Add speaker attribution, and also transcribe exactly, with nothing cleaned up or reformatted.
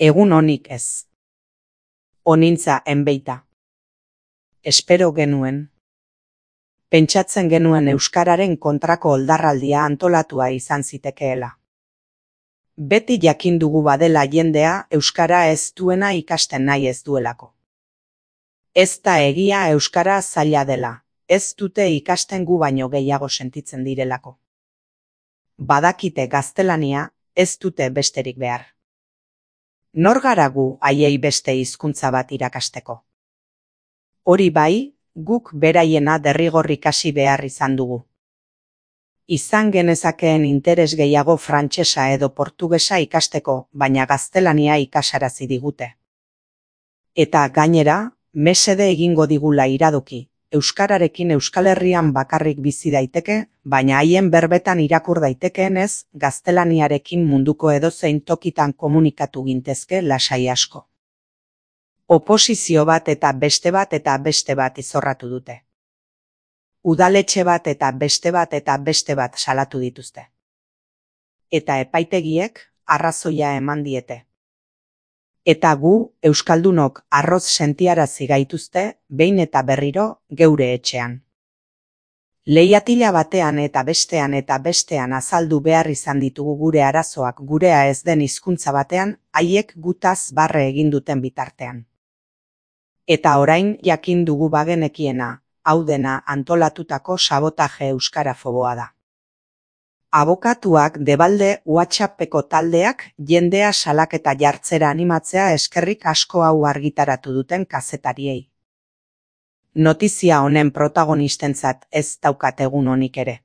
Speaker 1: Egun onik ez. Onintza enbeita. Espero genuen. Pentsatzen genuen euskararen kontrako oldarraldia antolatua izan zitekeela. Beti jakin dugu badela jendea euskara ez duena ikasten nahi ez duelako. Ez da egia euskara zaila dela, ez dute ikasten gu baino gehiago sentitzen direlako. Badakite gaztelania, ez dute besterik behar. Nor gara gu haiei beste hizkuntza bat irakasteko? Hori bai, guk beraiena derrigor ikasi behar izan dugu. Izan genezakeen interes gehiago frantsesa edo portugesa ikasteko, baina gaztelania ikasarazi digute. Eta gainera, mesede egingo digula iradoki, euskararekin Euskal Herrian bakarrik bizi daiteke, baina haien berbetan irakur daitekeenez, gaztelaniarekin munduko edozein tokitan komunikatu gintezke lasai asko. Oposizio bat eta beste bat eta beste bat izorratu dute. Udaletxe bat eta beste bat eta beste bat salatu dituzte. Eta epaitegiek arrazoia eman diete. Eta gu, euskaldunok arroz sentiarazi gaituzte, behin eta berriro, geure etxean. Leihatila batean eta bestean eta bestean azaldu behar izan ditugu gure arazoak gurea ez den hizkuntza batean, haiek gutaz barre egin duten bitartean. Eta orain jakin dugu bagenekiena, hau dena antolatutako sabotaje euskarafoboa da. Abokatuak debalde WhatsAppeko taldeak jendea salaketa jartzera animatzea eskerrik asko hau argitaratu duten kazetariei. Notizia honen protagonistentzat ez daukat egun onik ere.